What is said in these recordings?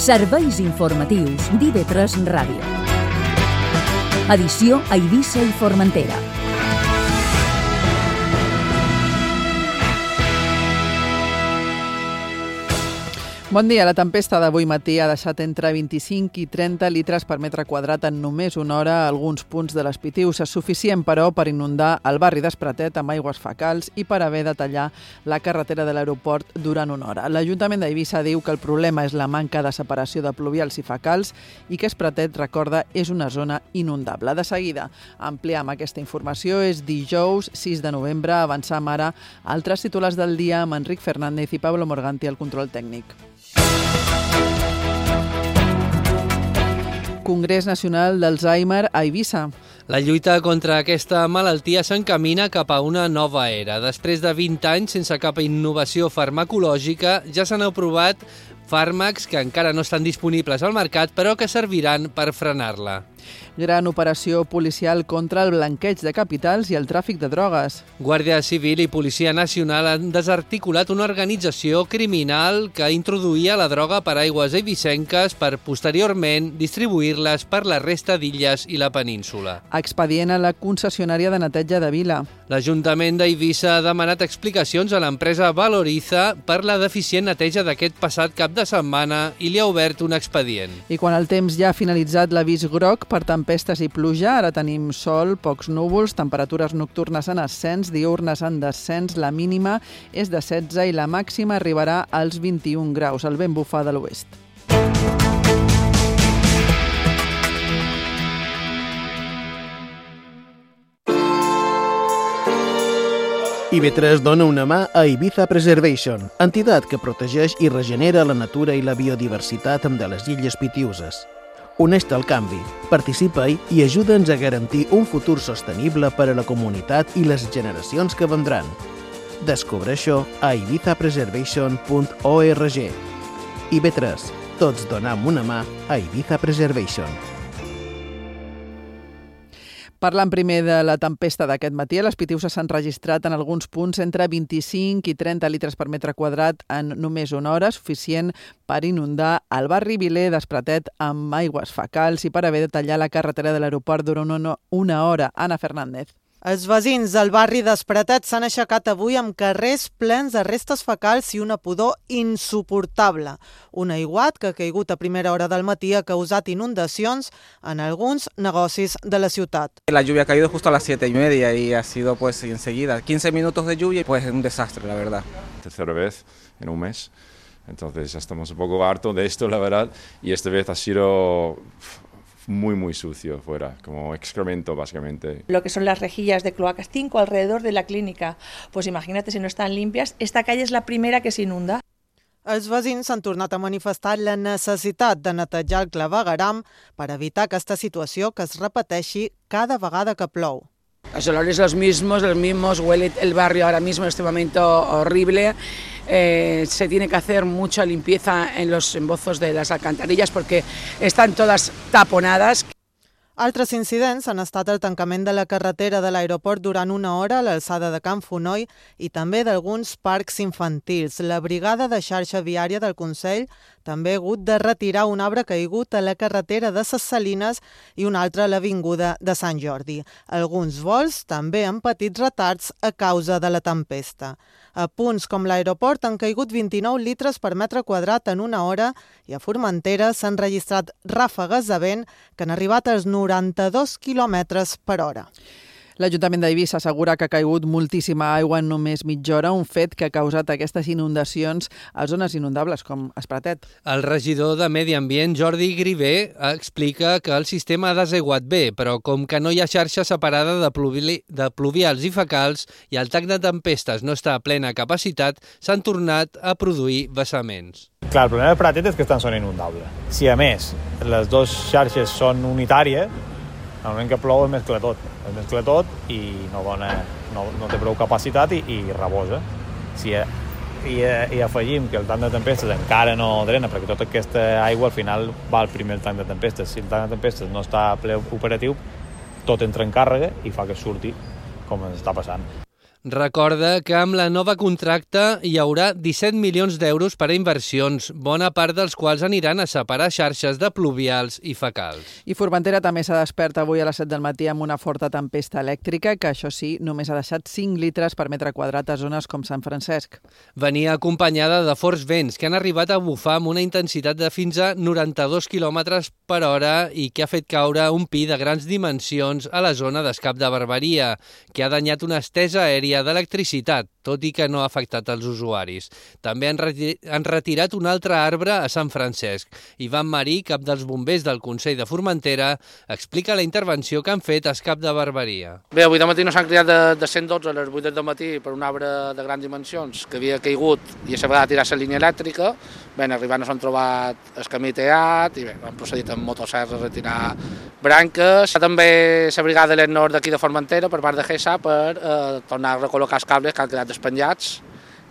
Serveis informatius d'IV3 Ràdio. Edició a Eivissa i Formentera. Bon dia. La tempesta d'avui matí ha deixat entre 25 i 30 litres per metre quadrat en només una hora a alguns punts de les Pitiüses, suficient, però, per inundar el barri d'Espratet amb aigües fecals i per haver de tallar la carretera de l'aeroport durant una hora. L'Ajuntament d'Eivissa diu que el problema és la manca de separació de pluvials i fecals i que Espratet, recorda, és una zona inundable. De seguida ampliem aquesta informació. És dijous 6 de novembre. Avancem ara a altres titulars del dia amb Enric Fernández i Pablo Morganti al control tècnic. Congrés Nacional d'Alzheimer a Eivissa. La lluita contra aquesta malaltia s'encamina cap a una nova era. Després de 20 anys sense cap innovació farmacològica, ja s'han aprovat fàrmacs que encara no estan disponibles al mercat, però que serviran per frenar-la. Gran operació policial contra el blanqueig de capitals i el tràfic de drogues. Guàrdia Civil i Policia Nacional han desarticulat una organització criminal que introduïa la droga per aigües eivissenques per posteriorment distribuir-les per la resta d'illes i la península. Expedient a la concessionària de neteja de Vila. L'Ajuntament d'Eivissa ha demanat explicacions a l'empresa Valoriza per la deficient neteja d'aquest passat cap de setmana i li ha obert un expedient. I quan el temps ja ha finalitzat l'avís groc per tempestes i pluja, ara tenim sol, pocs núvols, temperatures nocturnes en ascens, diürnes en descens, la mínima és de 16 i la màxima arribarà als 21 graus, el vent bufa de l'oest. IV3 dona una mà a Ibiza Preservation, entitat que protegeix i regenera la natura i la biodiversitat de les illes Pitiüses. Uneix-te al canvi, participa-hi i ajuda'ns a garantir un futur sostenible per a la comunitat i les generacions que vendran. Descobreix-ho a ibizapreservation.org. IB3, tots donem una mà a Ibiza Preservation. Parlant primer de la tempesta d'aquest matí, a les Pitiüses s'han registrat en alguns punts entre 25 i 30 litres per metre quadrat en només una hora, suficient per inundar el barri Viler d'Espratet amb aigües fecals i per haver de tallar la carretera de l'aeroport durant una hora. Anna Fernández. Els veïns del barri d'Espratet s'han aixecat avui amb carrers plens de restes fecals i una pudor insuportable. Un aiguat que ha caigut a primera hora del matí ha causat inundacions en alguns negocis de la ciutat. La lluvia ha caído justo a las 7:30 y ha sido pues enseguida 15 minutos de lluvia y pues un desastre, la verdad. Tercera vez en un mes, entonces ya estamos un poco hartos de esto, la verdad, y esta vez ha sido muy sucio fuera, como excremento básicamente. Lo que son las rejillas de cloacas 5 alrededor de la clínica, pues imagínate si no están limpias, esta calle es la primera que se inunda. Els veïns s'han tornat a manifestar la necessitat de netejar el clavegueram per evitar aquesta situació que es repeteixi cada vegada que plou. Los olores los mismos, huele el barrio ahora mismo en este momento horrible. Se tiene que hacer mucha limpieza en los embozos de las alcantarillas porque están todas taponadas. Altres incidents han estat el tancament de la carretera de l'aeroport durant una hora a l'alçada de Can Fonoll i també d'alguns parcs infantils. La brigada de xarxa viària del Consell també ha hagut de retirar un arbre caigut a la carretera de Ses Salines i un altre a l'avinguda de Sant Jordi. Alguns vols també han patit retards a causa de la tempesta. A punts com l'aeroport han caigut 29 litres per metre quadrat en una hora i a Formentera s'han registrat ràfegues de vent que han arribat als 92 quilòmetres per hora. L'Ajuntament d'Eivissa assegura que ha caigut moltíssima aigua en només mitja hora, un fet que ha causat aquestes inundacions a zones inundables com Espratet. El regidor de Medi Ambient, Jordi Grivé, explica que el sistema ha desaiguat bé, però com que no hi ha xarxa separada de pluvials i fecals i el tac de tempestes no està a plena capacitat, s'han tornat a produir vessaments. Clar, el problema de Pratet és que està en zona inundable. Si a més les dues xarxes són unitàries, el moment que plou es mescla tot i no té prou capacitat i rebosa. Si afegim que el tanc de tempestes encara no drena, perquè tota aquesta aigua al final va al primer tanc de tempestes. Si el tanc de tempestes no està ple operatiu, tot entra en càrrega i fa que surti com ens està passant. Recorda que amb la nova contracte hi haurà 17 milions d'euros per a inversions, bona part dels quals aniran a separar xarxes de pluvials i fecals. I Formentera també s'ha despert avui a les 7 del matí amb una forta tempesta elèctrica que, això sí, només ha deixat 5 litres per metre quadrat a zones com Sant Francesc. Venia acompanyada de forts vents que han arribat a bufar amb una intensitat de fins a 92 km per hora i que ha fet caure un pi de grans dimensions a la zona d'Escap de Barberia, que ha danyat una estesa aèria d'electricitat, tot i que no ha afectat els usuaris. També han retirat un altre arbre a Sant Francesc. Ivan Marí, cap dels bombers del Consell de Formentera, explica la intervenció que han fet a Escap de Barberia. Bé, avui de matí no s'han criat de 112 a les 8 del matí per un arbre de grans dimensions que havia caigut i a la vegada tirar la línia elèctrica. Bé, arribant s'han trobat el camí teat i bé, han procedit amb motosserra a retirar branques. També la brigada de l'Nord d'aquí de Formentera per part de GESA per tornar a recol·locar els cables que han quedat despenjats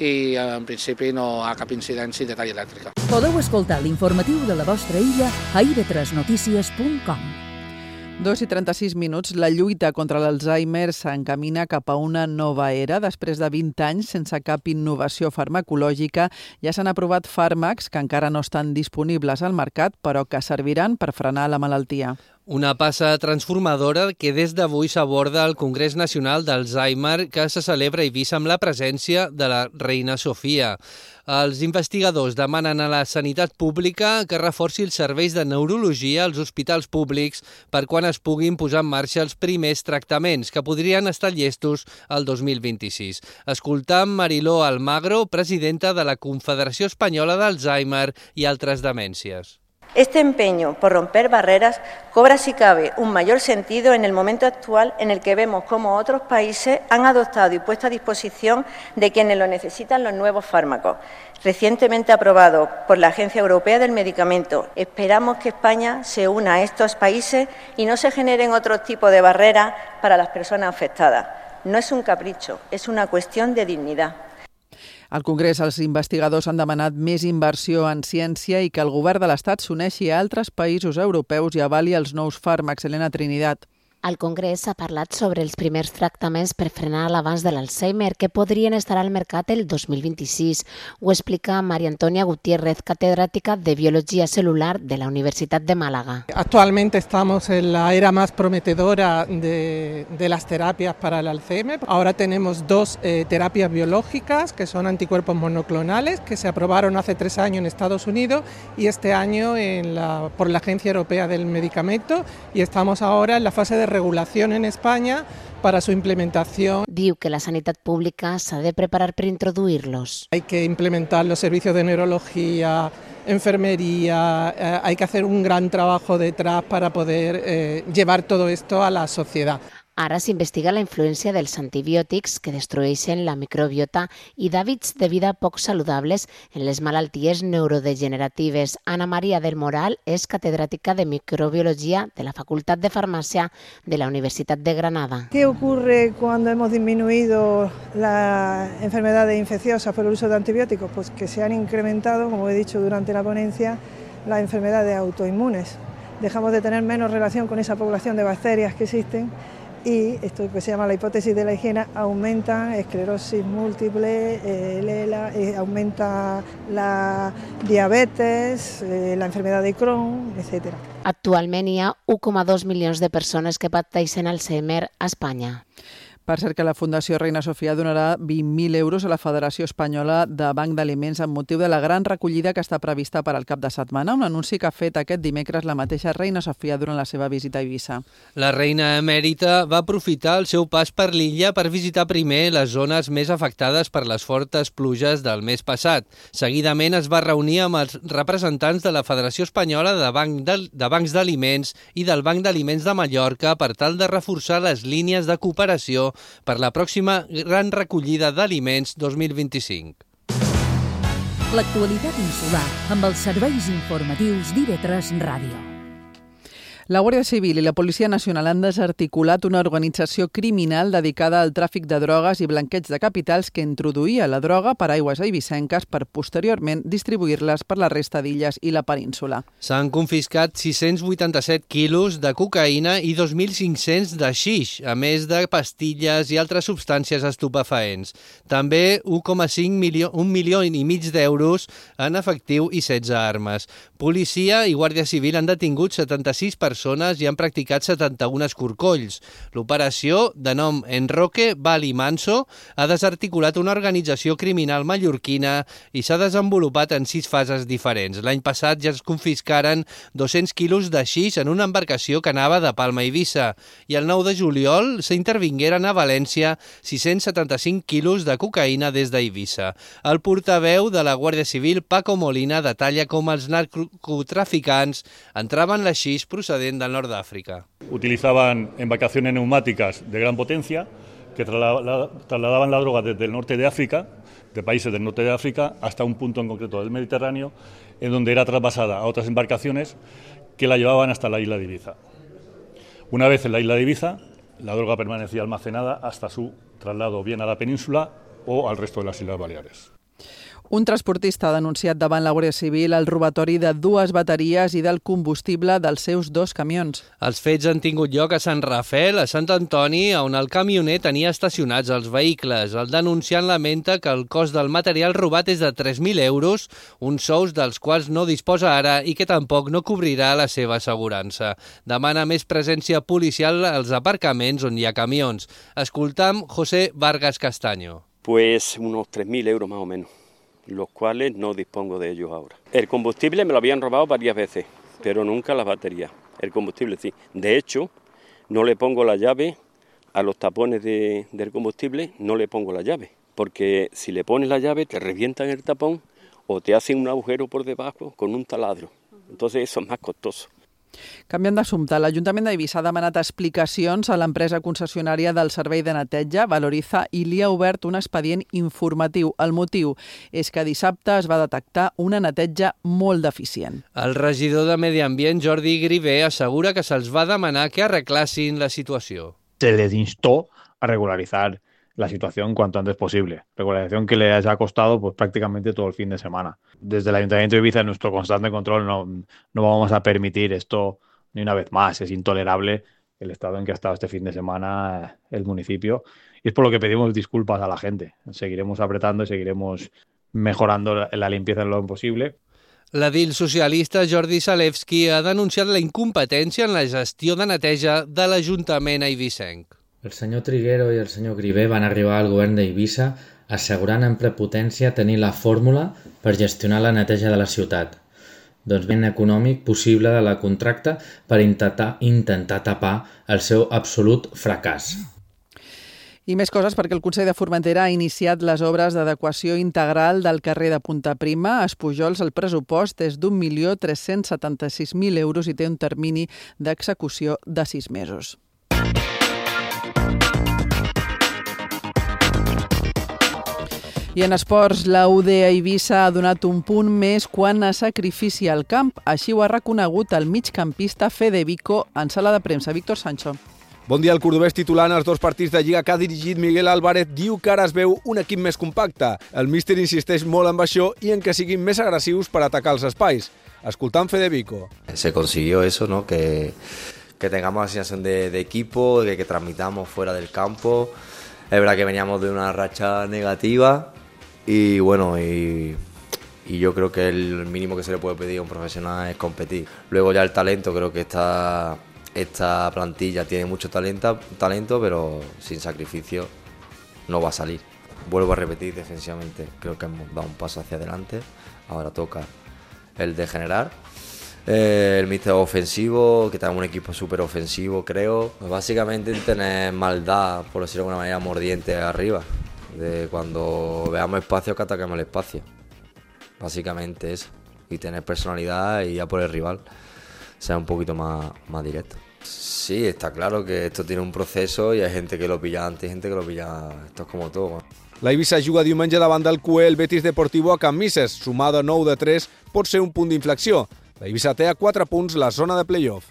i en principi no hi ha cap incidència de talla elèctrica. Podeu escoltar l'informatiu de la vostra illa a ib3notícies.com. 2:36. La lluita contra l'Alzheimer s'encamina cap a una nova era. Després de 20 anys sense cap innovació farmacològica, ja s'han aprovat fàrmacs que encara no estan disponibles al mercat, però que serviran per frenar la malaltia. Una passa transformadora que des d'avui s'aborda al Congrés Nacional d'Alzheimer que se celebra a Eivissa amb la presència de la reina Sofia. Els investigadors demanen a la sanitat pública que reforci els serveis de neurologia als hospitals públics per quan es puguin posar en marxa els primers tractaments que podrien estar llestos el 2026. Escoltam Mariló Almagro, presidenta de la Confederació Espanyola d'Alzheimer i altres demències. Este empeño por romper barreras cobra, si cabe, un mayor sentido en el momento actual en el que vemos cómo otros países han adoptado y puesto a disposición de quienes lo necesitan los nuevos fármacos, recientemente aprobados por la Agencia Europea del Medicamento. Esperamos que España se una a estos países y no se generen otro tipo de barreras para las personas afectadas. No es un capricho, es una cuestión de dignidad. Al Congrés, els investigadors han demanat més inversió en ciència i que el govern de l'Estat s'uneixi a altres països europeus i avali els nous fàrmacs. Elena Trinidad. Al Congrés s'ha parlat sobre els primers tractaments per frenar l'avanç de l'Alzheimer que podrien estar al mercat el 2026. Ho explica María Antonia Gutiérrez, catedrática de Biología Celular de la Universidad de Málaga. Actualmente estamos en la era más prometedora de las terapias para el Alzheimer. Ahora tenemos dos terapias biológicas que son anticuerpos monoclonales que se aprobaron hace 3 años en Estados Unidos y este año por la Agencia Europea del Medicamento, y estamos ahora en la fase de regulación en España para su implementación. Diu que la sanitat pública s'ha de preparar per introduir-los. Hay que implementar los servicios de neurología, enfermería, hay que hacer un gran trabajo detrás para poder llevar todo esto a la sociedad. Ara s'investiga la influència dels antibiòtics que destrueixen la microbiota i d'hàbits de vida poc saludables en les malalties neurodegeneratives. Ana María del Moral és catedràtica de microbiología de la Facultad de Farmacia de la Universidad de Granada. ¿Qué ocurre cuando hemos disminuido las enfermedades infecciosas por el uso de antibióticos? Pues que se han incrementado, como he dicho durante la ponencia, las enfermedades autoinmunes. Dejamos de tener menos relación con esa población de bacterias que existen. Y esto que se llama la hipótesis de la higiene aumenta esclerosis múltiple, aumenta la diabetes, la enfermedad de Crohn, etc. Actualment hi ha 1,2 milions de persones que pateixen Alzheimer a Espanya. Per cert que la Fundació Reina Sofia donarà 20.000 euros a la Federació Espanyola de Banc d'Aliments amb motiu de la gran recollida que està prevista per al cap de setmana, un anunci que ha fet aquest dimecres la mateixa Reina Sofia durant la seva visita a Eivissa. La reina emèrita va aprofitar el seu pas per l'illa per visitar primer les zones més afectades per les fortes pluges del mes passat. Seguidament es va reunir amb els representants de la Federació Espanyola de Bancs d'Aliments i del Banc d'Aliments de Mallorca per tal de reforçar les línies de cooperació per la pròxima gran recollida d'aliments 2025. L'actualitat insular amb els serveis informatius d'IV3 Ràdio. La Guàrdia Civil i la Policia Nacional han desarticulat una organització criminal dedicada al tràfic de drogues i blanqueig de capitals que introduïa la droga per aigües eivissenques per posteriorment distribuir-les per la resta d'illes i la península. S'han confiscat 687 quilos de cocaïna i 2.500 de xix, a més de pastilles i altres substàncies estupefaents. També 1,5 milió i mig d'euros en efectiu i 16 armes. Policia i Guàrdia Civil han detingut 76 persones i han practicat 71 escorcolls. L'operació, de nom Enroque Bali Manso, ha desarticulat una organització criminal mallorquina i s'ha desenvolupat en 6 fases diferents. L'any passat ja es confiscaren 200 quilos de xix en una embarcació que anava de Palma a Eivissa i el 9 de juliol s'intervingueren a València 675 quilos de cocaïna des d'Eivissa. El portaveu de la Guàrdia Civil, Paco Molina, detalla com els narcotraficants entraven la xix procedent del nord d'Àfrica. Utilizaban embarcaciones neumáticas de gran potencia que trasladaban la droga desde el norte de África, de países del norte de África, hasta un punto en concreto del Mediterráneo, en donde era trasvasada a otras embarcaciones que la llevaban hasta la isla de Ibiza. Una vez en la isla de Ibiza, la droga permanecía almacenada hasta su traslado bien a la península o al resto de las Islas Baleares. Un transportista ha denunciat davant la Guàrdia Civil el robatori de 2 bateries i del combustible dels seus 2 camions. Els fets han tingut lloc a Sant Rafel, a Sant Antoni, on el camioner tenia estacionats els vehicles. El denunciant lamenta que el cost del material robat és de 3.000 euros, uns sous dels quals no disposa ara i que tampoc no cobrirà la seva assegurança. Demana més presència policial als aparcaments on hi ha camions. Escoltam José Vargas Castaño. Pues unos 3.000 euros más o menos, los cuales no dispongo de ellos ahora. El combustible me lo habían robado varias veces, pero nunca las baterías. El combustible sí. De hecho, no le pongo la llave a los tapones del combustible, no le pongo la llave, porque si le pones la llave te revientan el tapón o te hacen un agujero por debajo con un taladro. Entonces eso es más costoso. Canviant d'assumpte, l'Ajuntament d'Eivissa ha demanat explicacions a l'empresa concessionària del servei de neteja, Valoriza, i li ha obert un expedient informatiu. El motiu és que dissabte es va detectar una neteja molt deficient. El regidor de Medi Ambient, Jordi Grivé, assegura que se'ls va demanar que arreglassin la situació. Se les instó a regularizar la situación cuanto antes posible. Regularización que les ha costado pues prácticamente todo el fin de semana. Desde el Ayuntamiento de Ibiza, en nuestro constante control, no vamos a permitir esto ni una vez más. Es intolerable el estado en que ha estado este fin de semana el municipio y es por lo que pedimos disculpas a la gente. Seguiremos apretando y seguiremos mejorando la limpieza en lo posible. L'edil socialista Jordi Salevski ha denunciat la incompetència en la gestió de neteja de l'Ajuntament eivissenc. El senyor Triguero i el senyor Grivé van arribar al govern d'Eivissa assegurant amb prepotència tenir la fórmula per gestionar la neteja de la ciutat. Doncs ben econòmic possible de la contracta per intentar tapar el seu absolut fracàs. I més coses perquè el Consell de Formentera ha iniciat les obres d'adequació integral del carrer de Punta Prima. A Espujols el pressupost és d'1.376.000 euros i té un termini d'execució de 6 mesos. I en esports, la UD Eivissa ha donat un punt més quan a sacrifici al camp. Així ho ha reconegut el migcampista Fede Vico en sala de premsa. Víctor Sancho. Bon dia, el cordobès titular en els 2 partits de Lliga que ha dirigit Miguel Álvarez diu que ara es veu un equip més compacte. El míster insisteix molt en això i en que siguin més agressius per atacar els espais. Escoltant Fede Vico. Se consiguió eso, ¿no? Que tengamos la sensación de equipo, de que transmitamos fuera del campo. Es verdad que veníamos de una racha negativa. Y bueno, y yo creo que el mínimo que se le puede pedir a un profesional es competir. Luego ya el talento, creo que esta plantilla tiene mucho talento, pero sin sacrificio no va a salir. Vuelvo a repetir, defensivamente creo que hemos dado un paso hacia adelante. Ahora toca el de generar. El míster ofensivo, que tenemos un equipo súper ofensivo, creo. Básicamente tener maldad, por decirlo de alguna manera, mordiente arriba. De cuando veamos espacio, que ataquemos el espacio. Básicamente eso. Y tener personalidad y ya por el rival sea un poquito más directo. Sí, está claro que esto tiene un proceso y hay gente que lo pilla antes y gente que lo pilla... Esto es como todo. La Eivissa juga diumenge davant del QE el Betis Deportivo a Can Misses. Sumada 9 de 3 pot ser un punt d'inflexió. La Eivissa té a 4 punts la zona de play-off.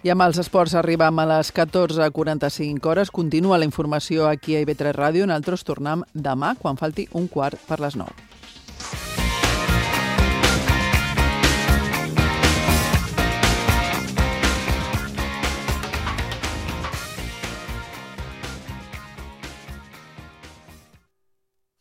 I amb els esports arribam a les 14:45 hores. Continua la informació aquí a IB3 Ràdio. Nosaltres tornem demà quan falti 1:15 per les 9.